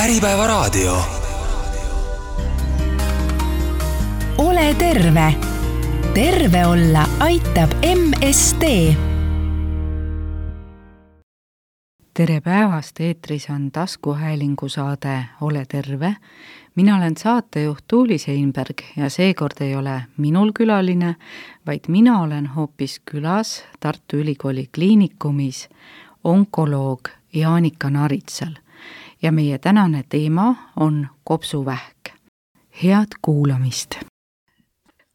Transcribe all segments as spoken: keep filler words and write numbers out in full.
Äripäevaraadio. Ole terve. Terve olla aitab M S D. Tere päevast, eetris on taskuhäälingu saade Ole terve. Mina olen saatejuht Tuuli Seinberg ja seekord ei ole minul külaline, vaid mina olen hoopis külas Tartu Ülikooli kliinikumis onkoloog Jaanika Naritsal. Ja meie tänane teema on kopsuvähk. Head kuulamist!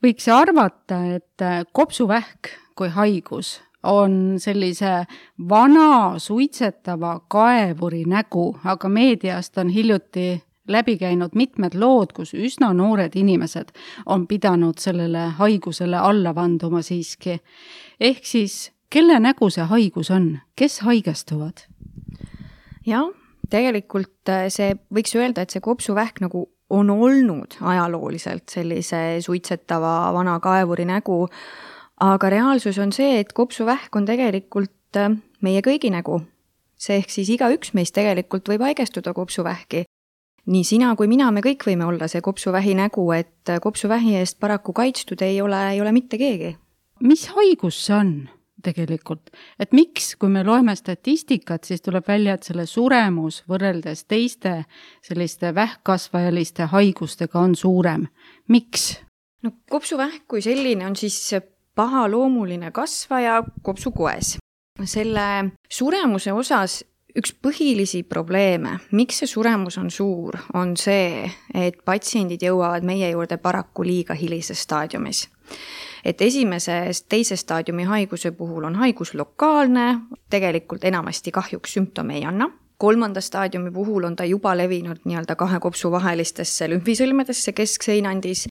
Võiks arvata, et kopsuvähk kui haigus on sellise vana suitsetava kaevuri nägu, aga meediast on hiljuti läbi käinud mitmed lood, kus üsna noored inimesed on pidanud sellele haigusele alla vanduma siiski. Ehk siis, kelle nägu see haigus on? Kes haigestuvad? Jah, tegelikult see võiks öelda, et see kopsuvähk nagu on olnud ajalooliselt sellise suitsetava vana kaevuri nägu, aga reaalsus on see, et kopsuvähk on tegelikult meie kõigi nägu. See ehk siis iga üks meist tegelikult võib haigestuda kopsuvähki. Nii sina kui mina, me kõik võime olla see kopsuvähi nägu, et kopsuvähi eest paraku kaitstud ei ole, ei ole mitte keegi. Mis haigus see on tegelikult? Et miks, kui me loeme statistikat, siis tuleb välja, et selle suremus võrreldes teiste selliste vähkkasvajaliste haigustega on suurem. Miks? No kopsuvähk kui selline on siis pahaloomuline kasvaja kopsukoes. Selle suremuse osas üks põhilisi probleeme, miks see suremus on suur, on see, et patsiendid jõuavad meie juurde paraku liiga hilises staadiumis. Et esimeses teise staadiumi haiguse puhul on haigus lokaalne, tegelikult enamasti kahjuks sümptome ei anna. Kolmanda staadiumi puhul on ta juba levinud nii-öelda kahe kopsu vahelistesse lümfisõlmedesse keskseinandis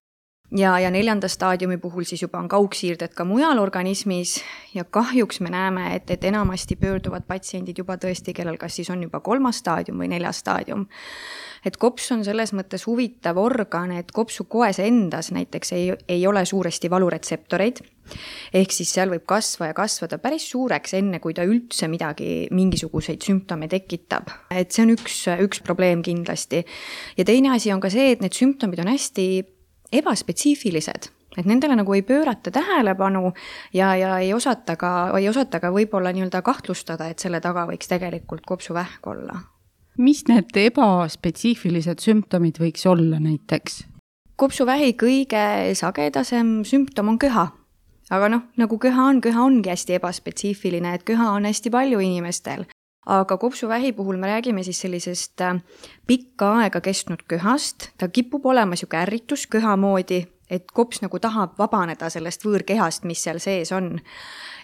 ja, ja neljanda staadiumi puhul siis juba on kaugsiirded ka mujal organismis ja kahjuks me näeme, et, et enamasti pöörduvad patsiendid juba tõesti, kellel kas siis on juba kolmas staadium või neljas staadium. Et kops on selles mõttes huvitav organ, et kopsu koes endas näiteks ei, ei ole suuresti valuretseptoreid, ehk siis seal võib kasva ja kasvada päris suureks enne, kui ta üldse midagi, mingisuguseid sümptome tekitab. Et see on üks, üks probleem kindlasti. Ja teine asi on ka see, et need sümptomid on hästi ebaspetsiifilised, et nendele nagu ei pöörata tähelepanu ja, ja ei osata ka, ei osata ka võib-olla nii-öelda kahtlustada, et selle taga võiks tegelikult kopsuvähk olla. Mis need ebaspetsiifilised sümptomid võiks olla näiteks? Kopsuvähi kõige sagedasem sümptom on köha. Aga noh, nagu köha on, köha ongi hästi ebaspetsiifiline, et köha on hästi palju inimestel. Aga kopsuvähi puhul me räägime siis sellisest pikka aega kestnud köhast. Ta kipub olema siuke ärritus köha moodi, et kops nagu tahab vabaneda sellest võõrkehast, mis seal sees on.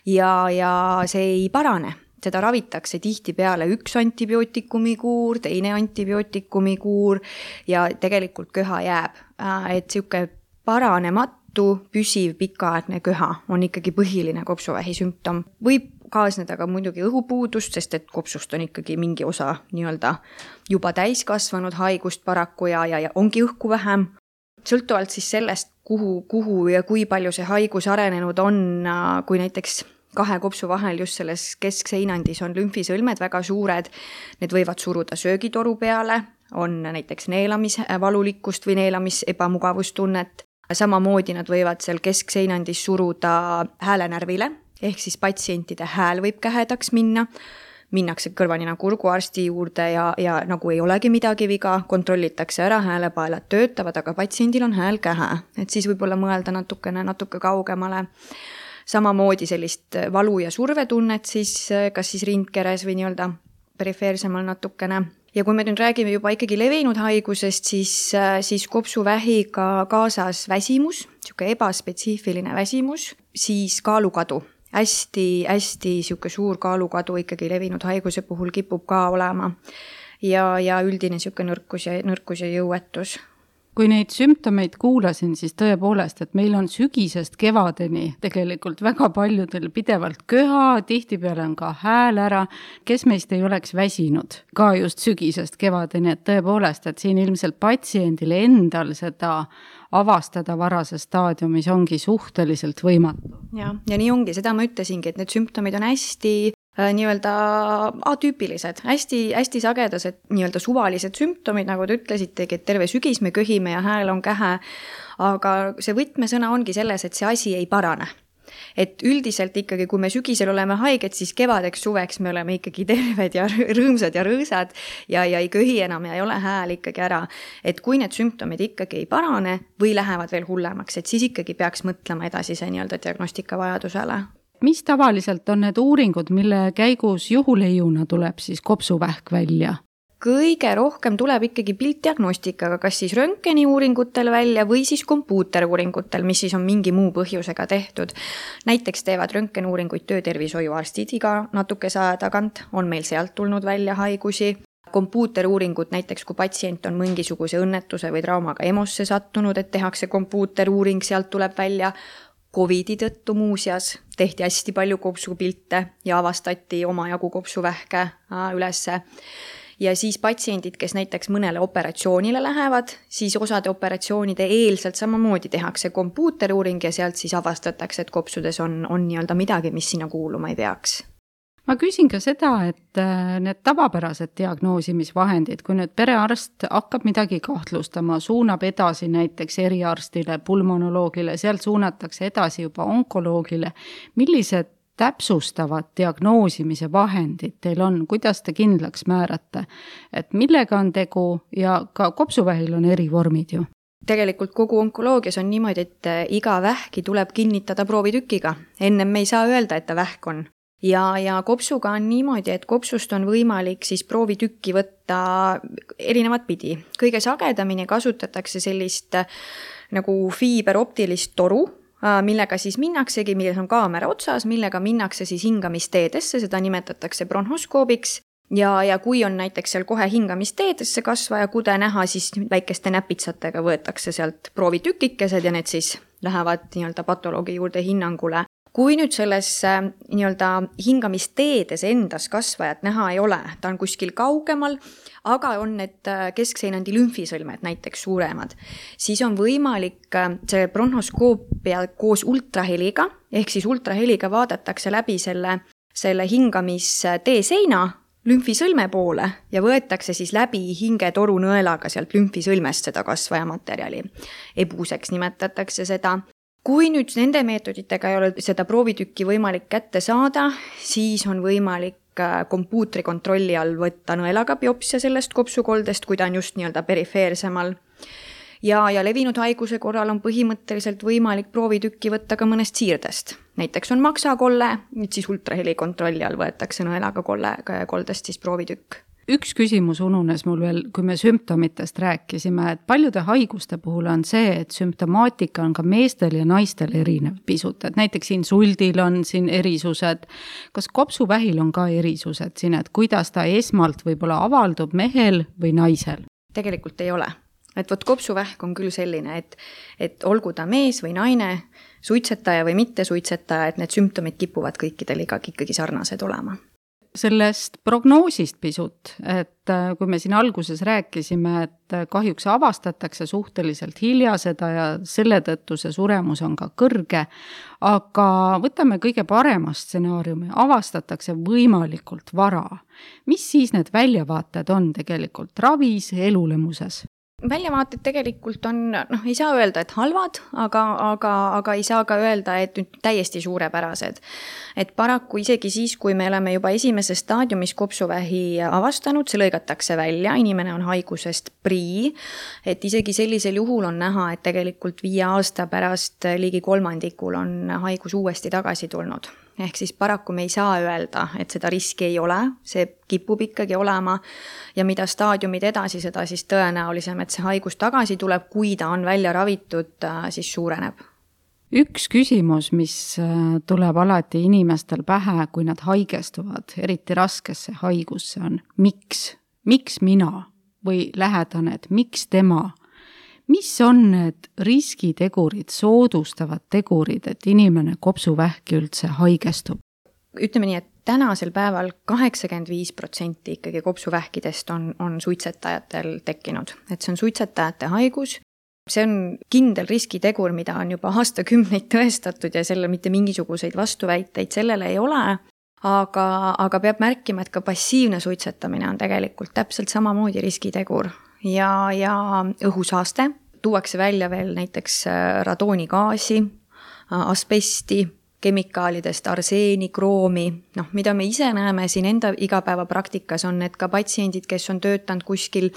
Ja, ja see ei parane. Seda ravitakse tihti peale üks antibiootikumi kuur, teine antibiootikumi kuur ja tegelikult köha jääb. Et siuke paranematu, püsiv, pikaaegne köha on ikkagi põhiline kopsuvähi sümptom. Võib kaasneda ka muidugi õhupuudust, sest et kopsust on ikkagi mingi osa nii-öelda juba täiskasvanud haigust paraku ja, ja, ja ongi õhku vähem. Sõltuvalt siis sellest, kuhu, kuhu ja kui palju see haigus arenenud on, kui näiteks kahe kopsu vahel just selles keskseinandis on lümfisõlmed väga suured, need võivad suruda söögitoru peale, on näiteks neelamisvalulikkust või neelamis ebamugavustunnet. Samamoodi nad võivad seal keskseinandis suruda häälenärvile, ehk siis patsientide hääl võib kähedaks minna, minnakse kõrvanina kurguarsti juurde ja, ja nagu ei olegi midagi viga, kontrollitakse ära, häälepaelad töötavad, aga patsiendil on hääl kähe, et siis võib-olla mõelda natukene, natuke kaugemale. Samamoodi sellist valu- ja survetunnet siis, kas siis rindkeres või nii-öelda perifeersemal natukene. Ja kui me nüüd räägime juba ikkagi levinud haigusest, siis, siis kopsuvähiga kaasas väsimus, siuke ebaspetsiifiline väsimus, siis kaalukadu. Hästi, hästi siuke suur kaalukadu ikkagi levinud haiguse puhul kipub ka olema ja, ja üldine siuke nõrkus ja, nõrkus ja jõuetus. Kui neid sümptomeid kuulasin, siis tõepoolest, et meil on sügisest kevadeni tegelikult väga paljudel pidevalt köha, tihtipeale on ka hääl ära, kes meist ei oleks väsinud ka just sügisest kevadeni, et tõepoolest, et siin ilmselt patsiendil endal seda avastada varases staadiumis ongi suhteliselt võimatu. Ja, ja nii ongi, seda ma ütlesingi, et need sümptomid on hästi nii-öelda atüüpilised, hästi, hästi sagedased nii-öelda suvalised sümptomid, nagu te ütlesitegi, et terve sügis me köhime ja hääl on kähe, aga see võtmesõna ongi selles, et see asi ei parane. Et üldiselt ikkagi, kui me sügisel oleme haiged, siis kevadeks, suveks me oleme ikkagi terved ja rõõmsad ja rõõsad ja, ja ei köhi enam ja ei ole hääl ikkagi ära. Et kui need sümptomid ikkagi ei parane või lähevad veel hullemaks, et siis ikkagi peaks mõtlema edasise nii-öelda diagnostika vajadusele. Mis tavaliselt on need uuringud, mille käigus juhuleiuna tuleb siis kopsuvähk välja? Kõige rohkem tuleb ikkagi piltdiagnostikaga, kas siis röntgeni uuringutel välja või siis kompuuteruuringutel, mis siis on mingi muu põhjusega tehtud. Näiteks teevad röntgenuuringuid töötervishoiuarstid iga natukese aja tagant, on meil sealt tulnud välja haigusi. Kompuuteruuringud näiteks, kui patsient on mingisuguse õnnetuse või traumaga EMO-sse sattunud, et tehakse kompuuteruuring, sealt tuleb välja. Covidi tõttu muuseas tehti hästi palju kopsupilte ja avastati omajagu kopsuvähke ülesse. Ja siis patsiendid, kes näiteks mõnele operatsioonile lähevad, siis osade operatsioonide eelselt samamoodi tehakse kompuuteruuring ja sealt siis avastatakse, et kopsudes on, on nii-öelda midagi, mis sinna kuuluma ei peaks. Ma küsin ka seda, et need tavapärased diagnoosimisvahendid, kui nüüd perearst hakkab midagi kahtlustama, suunab edasi näiteks eriarstile, pulmonoloogile, sealt suunatakse edasi juba onkoloogile, millised täpsustavad diagnoosimise vahendid teil on, kuidas te kindlaks määrate, et millega on tegu ja ka kopsuvähil on eri vormid ju? Tegelikult kogu onkoloogias on niimoodi, et iga vähki tuleb kinnitada proovitükiga. Ennem me ei saa öelda, et ta vähk on. Ja, ja kopsuga on niimoodi, et kopsust on võimalik siis proovitükki võtta erinevat pidi. Kõige sagedamini kasutatakse sellist nagu fiiberoptilist toru, millega siis minnaksegi, milles on kaamera otsas, millega minnakse siis hingamisteedesse, seda nimetatakse bronhoskoobiks. Ja, ja kui on näiteks seal kohe hingamisteedesse kasvaja kude näha, siis väikeste näpitsatega võetakse sealt proovitükikesed ja need siis lähevad nii-öelda patoloogi juurde hinnangule. Kui nüüd selles nii-öelda hingamisteedes endas kasvajat näha ei ole, ta on kuskil kaugemal, aga on need keskseinandi lümfisõlmed näiteks suuremad, siis on võimalik see bronhoskoopia koos ultraheliga, ehk siis ultraheliga vaadatakse läbi selle, selle hingamistee seina lümfisõlme poole ja võetakse siis läbi hingetoru nõelaga sealt lümfisõlmest seda kasvajamaterjali. Ebuseks nimetatakse seda. Kui nüüd nende meetoditega ei ole seda proovitükki võimalik kätte saada, siis on võimalik kompuutri kontrolli all võtta nõelaga biopsia sellest kopsukoldest, kui ta on just nii-öelda perifeersemal. Ja, ja levinud haiguse korral on põhimõtteliselt võimalik proovitükki võtta ka mõnest siirdest. Näiteks on maksakolle, nüüd siis ultraheli kontrolli all võetakse nõelaga kolle, koldest siis proovitükk. Üks küsimus ununes mul veel, kui me sümptomitest rääkisime, et paljude haiguste puhul on see, et sümptomaatika on ka meestel ja naistel erinev pisut, et näiteks insuldil on siin erisused. Kas kopsuvähil on ka erisused siin, et kuidas ta esmalt võib-olla avaldub mehel või naisel? Tegelikult ei ole. Et võt kopsuvähk on küll selline, et, et olgu ta mees või naine, suitsetaja või mitte suitsetaja, et need sümptomid kipuvad kõikidel ikkagi sarnased olema. Sellest prognoosist pisut, et kui me siin alguses rääkisime, et kahjuks avastatakse suhteliselt hilja seda ja selle tõttu see suremus on ka kõrge, aga võtame kõige parema stsenaariumi, avastatakse võimalikult vara. Mis siis need väljavaated on tegelikult ravis, elulemuses? Väljavaated tegelikult on, noh, ei saa öelda, et halvad, aga, aga, aga ei saa ka öelda, et nüüd täiesti suurepärased. Et paraku isegi siis, kui me oleme juba esimeses staadiumis kopsuvähi avastanud, see lõigatakse välja, inimene on haigusest prii, et isegi sellisel juhul on näha, et tegelikult viie aasta pärast ligi kolmandikul on haigus uuesti tagasi tulnud. Ehk siis paraku me ei saa öelda, et seda riski ei ole, see kipub ikkagi olema ja mida staadiumid edasi, seda siis tõenäolisem, et see haigus tagasi tuleb, kui ta on välja ravitud, siis suureneb. Üks küsimus, mis tuleb alati inimestel pähe, kui nad haigestuvad, eriti raskesse haigusse on, miks? Miks mina või lähedane, et miks tema? Mis on need riskitegurid, soodustavad tegurid, et inimene kopsuvähki üldse haigestub? Ütleme nii, et tänasel päeval kaheksakümmend viis protsenti ikkagi kopsuvähkidest on, on suitsetajatel tekkinud. Et see on suitsetajate haigus. See on kindel riskitegur, mida on juba aastakümneid tõestatud ja selle mitte mingisuguseid vastuväiteid sellele ei ole. aga, aga peab märkima, et ka passiivne suitsetamine on tegelikult täpselt samamoodi riskitegur ja, ja õhusaaste. Tuuakse välja veel näiteks radoonigaasi, asbesti, kemikaalidest arseeni, kroomi, noh, mida me ise näeme siin enda igapäevapraktikas on, et ka patsiendid, kes on töötanud kuskil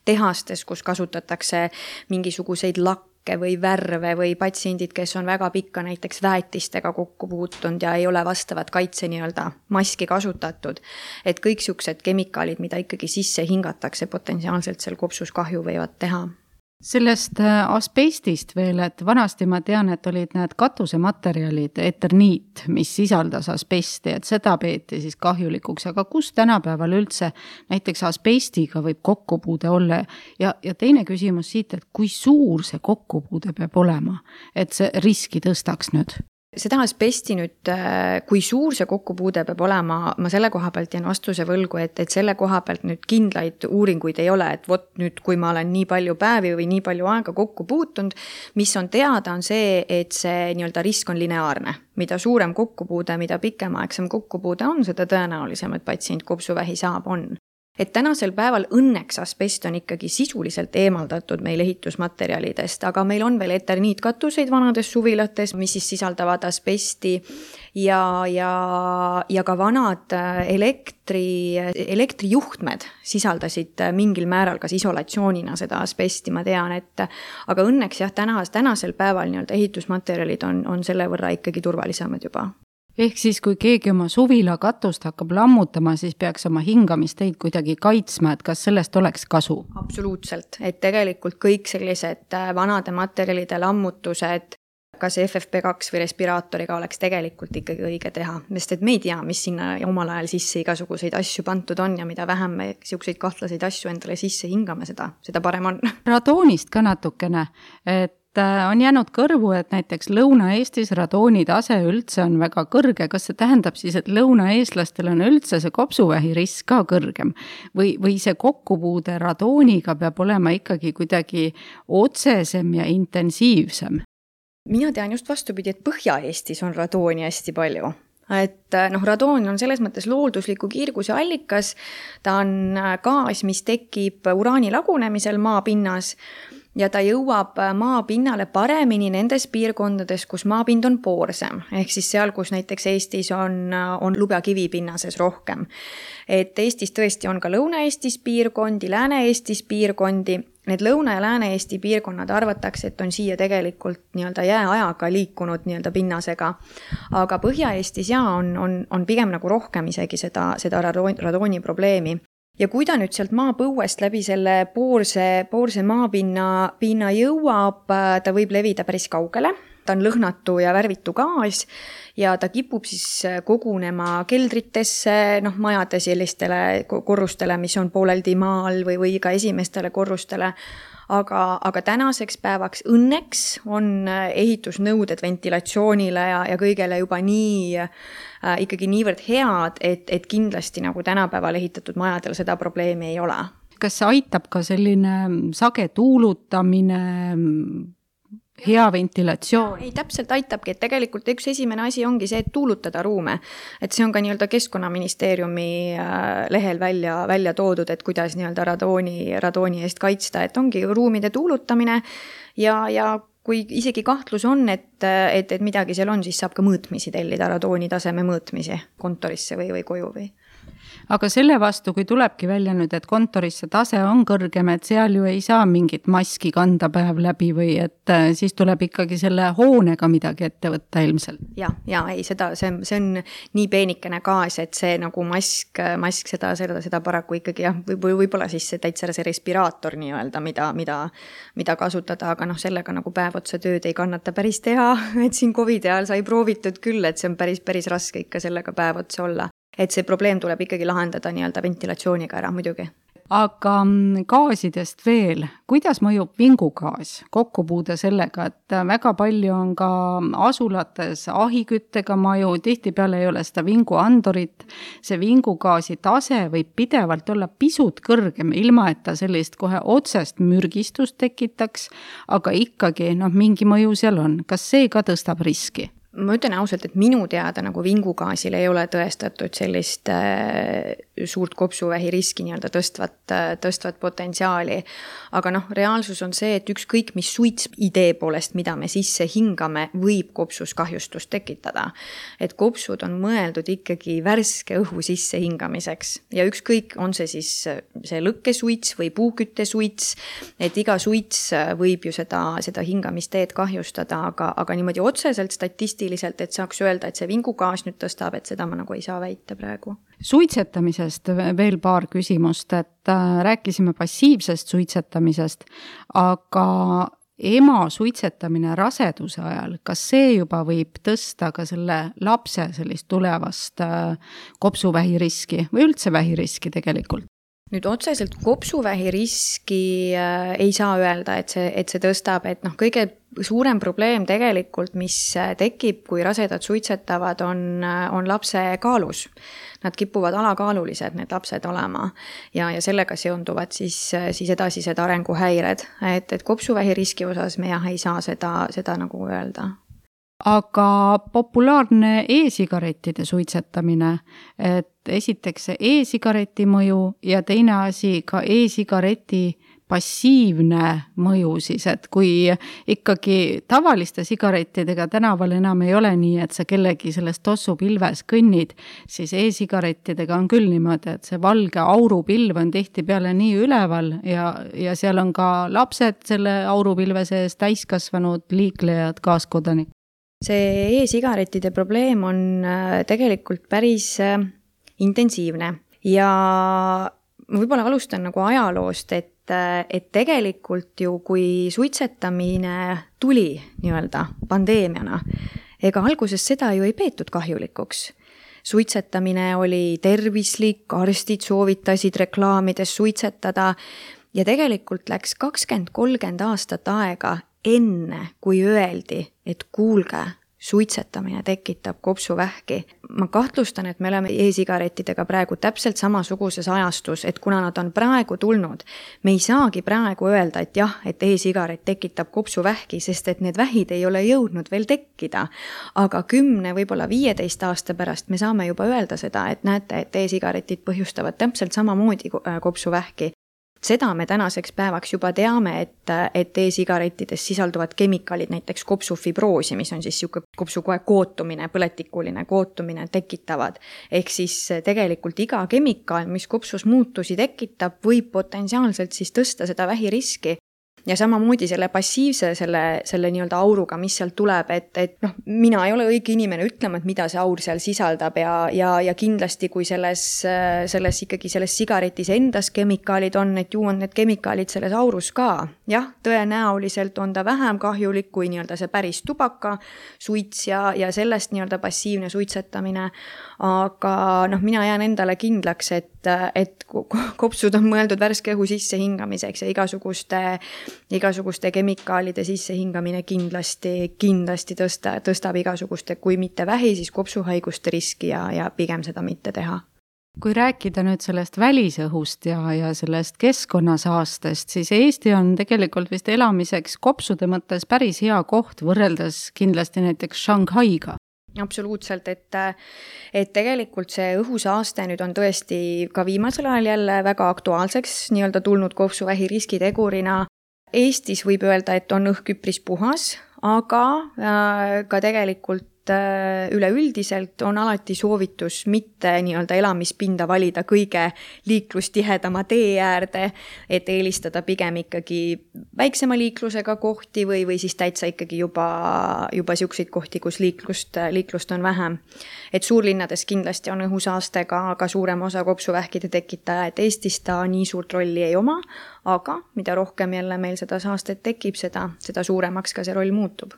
tehastes, kus kasutatakse mingisuguseid lakke või värve või patsiendid, kes on väga pikka näiteks väetistega kokku puutunud ja ei ole vastavat kaitse nii-öelda maski kasutatud, et kõik siuksed kemikaalid, mida ikkagi sisse hingatakse, potentsiaalselt seal kopsus kahju võivad teha. Sellest asbestist veel, et vanasti ma tean, et olid need katusematerjalid, eterniit, mis sisaldas asbesti, et seda peeti siis kahjulikuks, aga kus tänapäeval üldse näiteks asbestiga võib kokkupuude olla? Ja, ja teine küsimus siit, et kui suur see kokkupuude peab olema, et see riski tõstaks nüüd? Seda asbesti nüüd, kui suur see kokkupuude peab olema, ma selle koha pealt jään vastuse võlgu, et, et selle koha pealt nüüd kindlaid uuringuid ei ole, et vot nüüd, kui ma olen nii palju päevi või nii palju aega kokku puutunud, mis on teada, on see, et see nii-öelda risk on lineaarne. Mida suurem kokkupuude, mida pikemaaegsem kokkupuude on, seda tõenäolisem, et patsient kopsuvähi saab on. Et tänasel päeval õnneks asbest on ikkagi sisuliselt eemaldatud meil ehitusmaterjalidest, aga meil on veel eterniitkatuseid vanades suvilates, mis siis sisaldavad asbesti ja, ja, ja ka vanad elektri, elektrijuhtmed sisaldasid mingil määral kas isolatsioonina seda asbesti, ma tean, et aga õnneks jah, tänas, tänasel päeval nii-öelda ehitusmaterjalid on, on selle võrra ikkagi turvalisemad juba. Ehk siis, kui keegi oma suvila katust hakkab lammutama, siis peaks oma hingamisteid kuidagi kaitsma, et kas sellest oleks kasu? Absoluutselt, et tegelikult kõik sellised vanade materjalide lammutused, kas F F P kaks või respiraatoriga oleks tegelikult ikkagi õige teha, sest et me ei tea, mis sinna omal ajal sisse igasuguseid asju pantud on ja mida vähem me siukseid kahtlaseid asju endale sisse hingame, seda, seda parem on. Radoonist ka natukene, et on jäänud kõrvu, et näiteks Lõuna-Eestis radooni tase üldse on väga kõrge. Kas see tähendab siis, et lõunaeestlastel on üldse see kopsuvähi risk ka kõrgem? Või, või see kokkupuude radooniga peab olema ikkagi kuidagi otsesem ja intensiivsem? Mina tean just vastupidi, et Põhja-Eestis on radooni hästi palju. Et noh, radoon on selles mõttes looldusliku kiirguse allikas. Ta on gaas, mis tekib uraani lagunemisel maapinnas ja ta jõuab maapinnale paremini nendes piirkondades, kus maapind on poorsem, ehk siis seal, kus näiteks Eestis on, on lube- ja kivipinnases rohkem. Et Eestis tõesti on ka Lõuna-Eestis piirkondi, Lääne-Eestis piirkondi. Need Lõuna- ja Lääne-Eesti piirkonnad arvatakse, et on siia tegelikult nii-öelda jääajaga liikunud nii-öelda pinnasega. Aga Põhja-Eestis ja on, on, on pigem nagu rohkem isegi seda, seda radooni probleemi. Ja kui ta nüüd sealt maapõuest läbi selle poorse, poorse maapinna pinna jõuab, ta võib levida päris kaugele. Ta on lõhnatu ja värvitu gaas ja ta kipub siis kogunema keldritesse, noh, majade sellistele korrustele, mis on pooleldi maal või, või ka esimestele korrustele. Aga, aga tänaseks päevaks õnneks on ehitusnõuded ventilatsioonile ja, ja kõigele juba nii, äh, ikkagi niivõrd head, et, et kindlasti nagu tänapäeval ehitatud majadel seda probleemi ei ole. Kas see aitab ka selline sage tuulutamine, hea ventilatsioon? Ei, täpselt aitabki, et tegelikult üks esimene asi ongi see, et tuulutada ruume. Et see on ka nii-öelda Keskkonnaministeeriumi lehel välja, välja toodud, et kuidas nii-öelda radooni, radooni eest kaitsta, et ongi ruumide tuulutamine ja, ja kui isegi kahtlus on, et, et, et midagi seal on, siis saab ka mõõtmisi tellida, radooni taseme mõõtmisi kontorisse või, või koju või. Aga selle vastu, kui tulebki välja nüüd, et kontorisse tase on kõrgem, et seal ju ei saa mingit maski kanda päev läbi või et siis tuleb ikkagi selle hoonega midagi ette võtta ilmselt. Ja, ja ei, seda, see, see on nii peenikene gaas, et see nagu mask, mask seda, seda, seda paraku ikkagi jah, või võib-olla siis see täitsa see respiraator nii-öelda, mida, mida, mida kasutada, aga noh, sellega nagu päev otsa tööd ei kannata päris teha, et siin COVID ajal sai proovitud küll, et see on päris, päris raske ikka sellega päev otsa olla. Et see probleem tuleb ikkagi lahendada nii-öelda ventilatsiooniga ära muidugi. Aga gaasidest veel, kuidas mõjub vingugaas kokkupuude sellega, et väga palju on ka asulates ahiküttega maju, tihtipeale ei ole seda vinguandorit, see vingugaasi tase võib pidevalt olla pisut kõrgem, ilma et ta sellist kohe otsest mürgistust tekitaks, aga ikkagi noh, mingi mõju seal on. Kas see ka tõstab riski? ma ütlen ausalt, et minu teada nagu vingugaasil ei ole tõestatud sellist äh, suurt kopsuvähi riski nii-öelda tõstvat, äh, tõstvat potentsiaali. Aga noh, reaalsus on see, et ükskõik mis suits idee poolest, mida me sisse hingame, võib kopsus kahjustust tekitada. Et kopsud on mõeldud ikkagi värske õhu sisse hingamiseks. Ja ükskõik on see siis see lõkkesuits või puuküttesuits, et iga suits võib ju seda, seda hingamisteed kahjustada, aga, aga niimoodi otseselt statistiliselt, et saaks öelda, et see vingugaas nüüd tõstab, et seda ma nagu ei saa väita praegu. Suitsetamisest veel paar küsimust, et rääkisime passiivsest suitsetamisest, aga ema suitsetamine raseduse ajal, kas see juba võib tõsta ka selle lapse sellist tulevast kopsuvähi riski või üldse vähi riski tegelikult? Nüüd otseselt kopsuvähi riski äh, ei saa öelda, et see, et see tõstab, et noh, kõige suurem probleem tegelikult, mis tekib, kui rasedad suitsetavad, on, on lapse kaalus. Nad kipuvad alakaalulised, need lapsed olema ja, ja sellega seonduvad siis, siis edasised arenguhäired, et, et kopsuvähi riski osas me jah ei saa seda, seda nagu öelda. Aga populaarne e-sigarettide suitsetamine, et esiteks see e-sigareti mõju ja teine asi ka e-sigareti passiivne mõju siis, et kui ikkagi tavaliste sigarettidega tänaval enam ei ole nii, et sa kellegi sellest tossupilves kõnnid, siis e-sigarettidega on küll niimoodi, et see valge aurupilv on tihti peale nii üleval ja, ja seal on ka lapsed selle aurupilve sees, täiskasvanud liiklejad, kaaskodanik. See e-sigarettide probleem on tegelikult päris intensiivne ja ma võib-olla alustan nagu ajaloost, et, et tegelikult ju kui suitsetamine tuli nii-öelda pandeemiana, ega alguses seda ju ei peetud kahjulikuks. Suitsetamine oli tervislik, arstid soovitasid reklaamides suitsetada ja tegelikult läks kakskümmend kolmkümmend aastat aega enne, kui öeldi, et kuulge, suitsetamine tekitab kopsuvähki. Ma kahtlustan, et me oleme e-sigarettidega praegu täpselt samasuguses ajastus, et kuna nad on praegu tulnud, me ei saagi praegu öelda, et jah, et e-sigaret tekitab kopsuvähki, sest et need vähid ei ole jõudnud veel tekkida. Aga kümne, võib-olla viieteist aasta pärast me saame juba öelda seda, et näete, et e-sigaretid põhjustavad täpselt samamoodi kopsuvähki. Seda me tänaseks päevaks juba teame, et, et e-sigarettides sisalduvad kemikaalid, näiteks kopsufibroosi, mis on siis siuke kopsukoe kootumine, põletikuline kootumine tekitavad. Ehk siis tegelikult iga kemikaal, mis kopsus muutusi tekitab, võib potentsiaalselt siis tõsta seda vähiriski. Ja samamoodi selle passiivse, selle, selle nii-öelda auruga, mis seal tuleb, et, et noh, mina ei ole õige inimene ütlema, et mida see aur seal sisaldab ja, ja, ja kindlasti kui selles, selles ikkagi selles sigaretis endas kemikaalid on, et ju on need kemikaalid selles aurus ka. Jah, tõenäoliselt on ta vähem kahjulik kui nii-öelda see päris tubaka suits ja, ja sellest nii-öelda passiivne suitsetamine. Aga noh, mina jään endale kindlaks, et, et kopsud on mõeldud värske õhu sisse hingamiseks ja igasuguste igasuguste kemikaalide sisse hingamine kindlasti, kindlasti tõsta, tõstab igasuguste, kui mitte vähi, siis kopsuhaiguste riski ja, ja pigem seda mitte teha. Kui rääkida nüüd sellest välisõhust ja, ja sellest keskkonnasaastest, siis Eesti on tegelikult vist elamiseks kopsude mõttes päris hea koht võrreldes kindlasti näiteks Shanghaiga. Absoluutselt, et, et tegelikult see õhusaaste nüüd on tõesti ka viimasel ajal jälle väga aktuaalseks nii-öelda tulnud kopsuvähi riskitegurina. Eestis võib öelda, et on õhk üpris puhas, aga ka tegelikult üleüldiselt on alati soovitus mitte nii-öelda elamispinda valida kõige liiklustihedama tee äärde, et eelistada pigem ikkagi väiksema liiklusega kohti või, või siis täitsa ikkagi juba, juba siukseid kohti, kus liiklust, liiklust on vähem. Et suurlinnades kindlasti on õhusaastega ka suurem osa kopsuvähkide tekitaja, et Eestis ta nii suurt rolli ei oma, aga mida rohkem jälle meil seda saastet tekib, seda, seda suuremaks ka see roll muutub.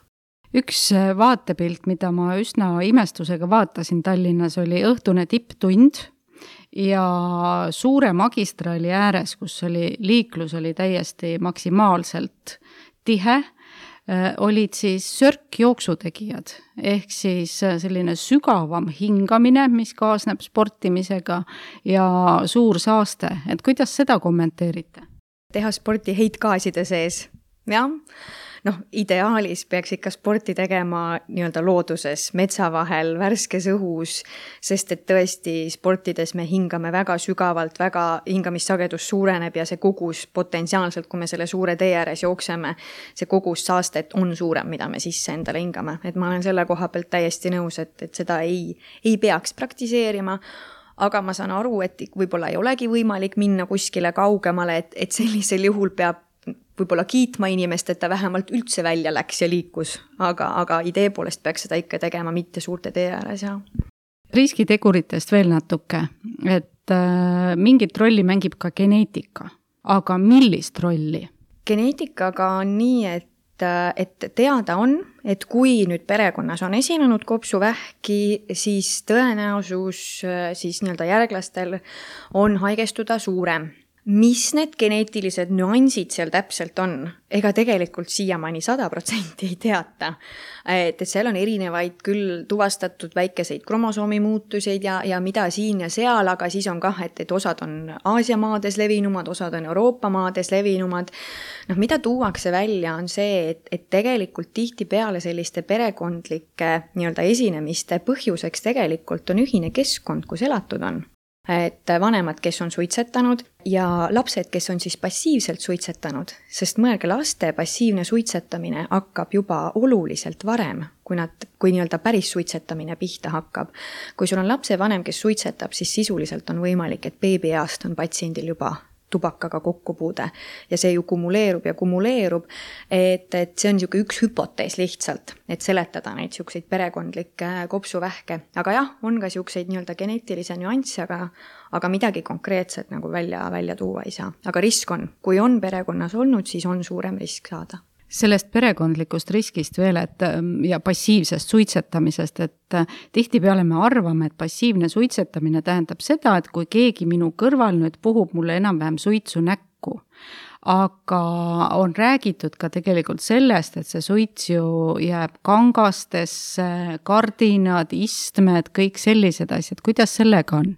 Üks vaatepilt, mida ma üsna imestusega vaatasin Tallinnas, oli õhtune tipptund ja suure magistraali ääres, kus oli, liiklus oli täiesti maksimaalselt tihe, olid siis sörkjooksutegijad, ehk siis selline sügavam hingamine, mis kaasneb sportimisega ja suur saaste. Et kuidas seda kommenteerite? Teha sporti heitgaaside sees. jah, noh, ideaalis peaks ikka sporti tegema nii-öelda looduses, metsa vahel, värskes õhus, sest et tõesti sportides me hingame väga sügavalt, väga hingamissagedus suureneb ja see kogus potentsiaalselt, kui me selle suure tee ääres jookseme, see kogus saastet on suurem, mida me sisse endale hingame. Et ma olen selle koha pealt täiesti nõus, et, et seda ei, ei peaks praktiseerima, aga ma saan aru, et võib-olla ei olegi võimalik minna kuskile kaugemale, et, et sellisel juhul peab võib-olla kiitma inimest, et ta vähemalt üldse välja läks ja liikus, aga, aga idee poolest peaks seda ikka tegema mitte suurte tee ääres. Ja. Riskiteguritest veel natuke, et äh, mingit rolli mängib ka geneetika, aga millist rolli? Geneetikaga on nii, et et teada on, et kui nüüd perekonnas on esinenud kopsuvähki, siis tõenäosus siis nii-öelda järglastel on haigestuda suurem. Mis need geneetilised nüansid seal täpselt on? Ega tegelikult siiamaani sada protsenti ei teata. Et seal on erinevaid küll tuvastatud väikeseid kromosoomi muutuseid ja, ja mida siin ja seal, aga siis on kah, et, et osad on Aasia maades levinumad, osad on Euroopa maades levinumad. No, mida tuuakse välja on see, et, et tegelikult tihti peale selliste perekondlike nii-öelda esinemiste põhjuseks tegelikult on ühine keskkond, kus elatud on. Et vanemad, kes on suitsetanud ja lapsed, kes on siis passiivselt suitsetanud, sest mõelge, laste passiivne suitsetamine hakkab juba oluliselt varem, kui nad, kui nii-öelda päris suitsetamine pihta hakkab. Kui sul on lapse vanem, kes suitsetab, siis sisuliselt on võimalik, et beebiaast on patsiendil juba tubakaga kokkupuude ja see ju kumuleerub ja kumuleerub, et, et see on niisugune üks hüpotees lihtsalt, et seletada neid niisuguseid perekondlikke kopsuvähke. Aga jah, on ka niisuguseid nii-öelda geneetilise nüansse, aga, aga midagi konkreetset nagu välja, välja tuua ei saa. Aga risk on, kui on perekonnas olnud, siis on suurem risk saada. Sellest perekondlikust riskist veel, et ja passiivsest suitsetamisest, et tihtipeale me arvame, et passiivne suitsetamine tähendab seda, et kui keegi minu kõrval nüüd puhub mulle enam-vähem suitsu näkku, aga on räägitud ka tegelikult sellest, et see suits ju jääb kangastesse, kardinad, istmed, kõik sellised asjad. Kuidas sellega on?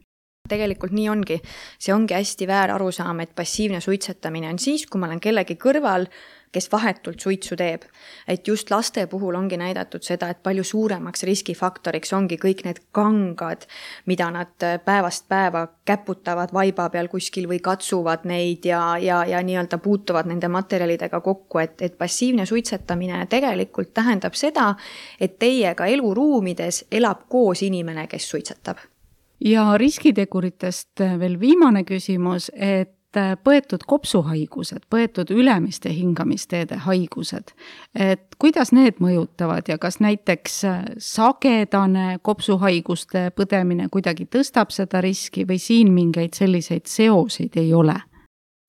Tegelikult nii ongi. See ongi hästi väär arusaam, et passiivne suitsetamine on siis, kui ma olen kellegi kõrval, kes vahetult suitsu teeb. Et just laste puhul ongi näidatud seda, et palju suuremaks riskifaktoriks ongi kõik need kangad, mida nad päevast päeva käputavad vaiba peal kuskil või katsuvad neid ja, ja, ja nii-öelda puutuvad nende materjalidega kokku, et, et passiivne suitsetamine tegelikult tähendab seda, et teiega eluruumides elab koos inimene, kes suitsetab. Ja riskiteguritest veel viimane küsimus, et põetud kopsuhaigused, põetud ülemiste hingamisteede haigused, et kuidas need mõjutavad ja kas näiteks sagedane kopsuhaiguste põdemine kuidagi tõstab seda riski või siin mingeid selliseid seoseid ei ole?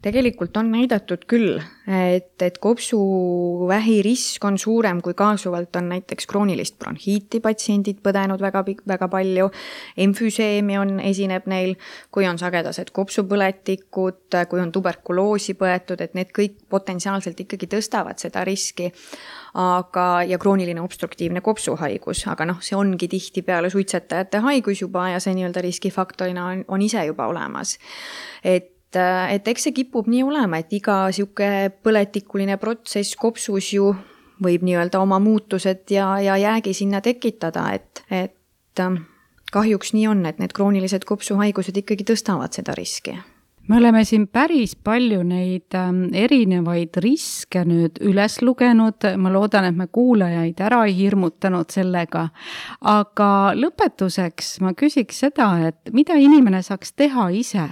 Tegelikult on näidatud küll, et, et kopsuvähi risk on suurem, kui kaasuvalt on näiteks kroonilist bronhiiti patsiendid põdenud väga, väga palju, emfüseemi on, esineb neil, kui on sagedased kopsupõletikud, kui on tuberkuloosi põetud, et need kõik potentsiaalselt ikkagi tõstavad seda riski, aga, ja krooniline obstruktiivne kopsuhaigus, aga noh, see ongi tihti peale suitsetajate haigus juba ja see nii-öelda riskifaktorina on, on ise juba olemas. Et et eks see kipub nii olema, et iga siuke põletikuline protsess kopsus ju võib nii-öelda oma muutused ja, ja jäägi sinna tekitada, et, et kahjuks nii on, et need kroonilised kopsuhaigused ikkagi tõstavad seda riski. Me oleme siin päris palju neid erinevaid riske nüüd üles lugenud, ma loodan, et me kuulajaid ära ei hirmutanud sellega, aga lõpetuseks ma küsiks seda, et mida inimene saaks teha ise,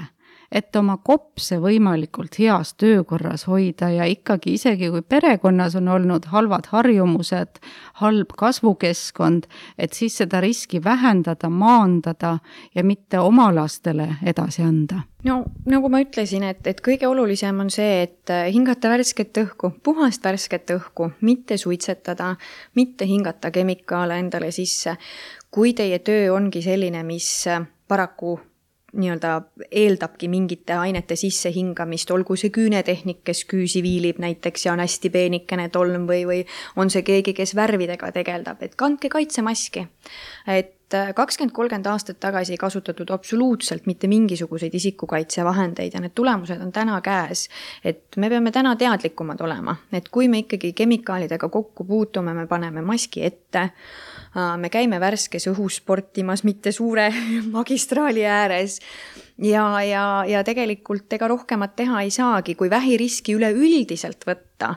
et oma kopse võimalikult heas töökorras hoida ja ikkagi isegi kui perekonnas on olnud halvad harjumused, halb kasvukeskkond, et siis seda riski vähendada, maandada ja mitte oma lastele edasi anda. No nagu ma ütlesin, et, et kõige olulisem on see, et hingata värsket õhku, puhast värsket õhku, mitte suitsetada, mitte hingata kemikaale endale sisse. Kui teie töö ongi selline, mis paraku nii-öelda eeldabki mingite ainete sisse hingamist, olgu see küünetehnik, kes küüsi viilib näiteks ja on hästi peenikene tolm või, või on see keegi, kes värvidega tegeldab, et kandke kaitsemaski. Et kakskümmend kolmkümmend aastat tagasi ei kasutatud absoluutselt mitte mingisuguseid isikukaitsevahendeid ja need tulemused on täna käes. Et me peame täna teadlikumad olema, et kui me ikkagi kemikaalidega kokku puutume, me paneme maski ette, me käime värskes õhus sportimas, mitte suure magistraali ääres ja, ja, ja tegelikult ega rohkemat teha ei saagi, kui vähiriski üleüldiselt võtta,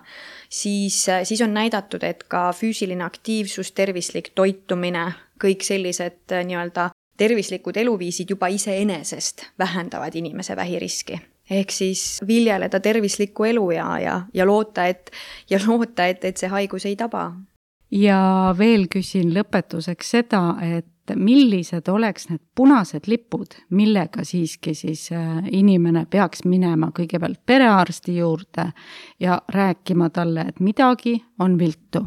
siis, siis on näidatud, et ka füüsiline aktiivsus, tervislik toitumine, kõik sellised nii-öelda tervislikud eluviisid juba iseenesest vähendavad inimese vähiriski. Ehk siis viljeleda tervislikku elu ja, ja, ja loota, et, ja loota, et, et see haigus ei taba. Ja veel küsin lõpetuseks seda, et millised oleks need punased lipud, millega siiski siis inimene peaks minema kõigepealt perearsti juurde ja rääkima talle, et midagi on viltu?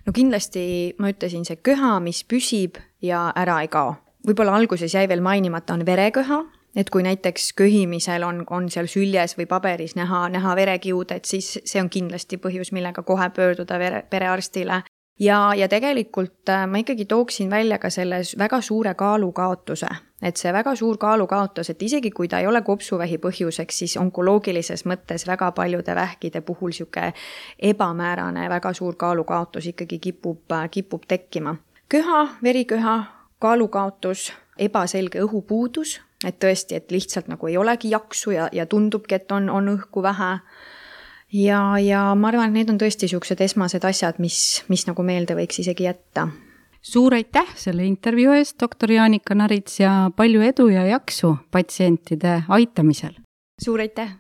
No kindlasti ma ütlesin see köha, mis püsib ja ära ei kao. Võib-olla alguses jäi veel mainimata on vereköha, et kui näiteks köhimisel on, on seal süljes või paberis näha, näha verekiud, et siis see on kindlasti põhjus, millega kohe pöörduda vere, perearstile. Ja, ja tegelikult ma ikkagi tooksin välja ka selle väga suure kaalukaotuse, et see väga suur kaalukaotus, et isegi kui ta ei ole kopsuvähi põhjuseks, siis onkoloogilises mõttes väga paljude vähkide puhul siuke ebamäärane väga suur kaalukaotus ikkagi kipub, kipub tekkima. Köha, veriköha, kaalukaotus, ebaselge õhupuudus, et tõesti, et lihtsalt nagu ei olegi jaksu ja, ja tundubki, et on, on õhku vähe. Ja, ja ma arvan, et need on tõesti siuksed esmased asjad, mis, mis nagu meelde võiks isegi jätta. Suur aitäh selle intervjuu eest, doktor Jaanika Narits, ja palju edu ja jaksu patsientide aitamisel. Suur aitäh!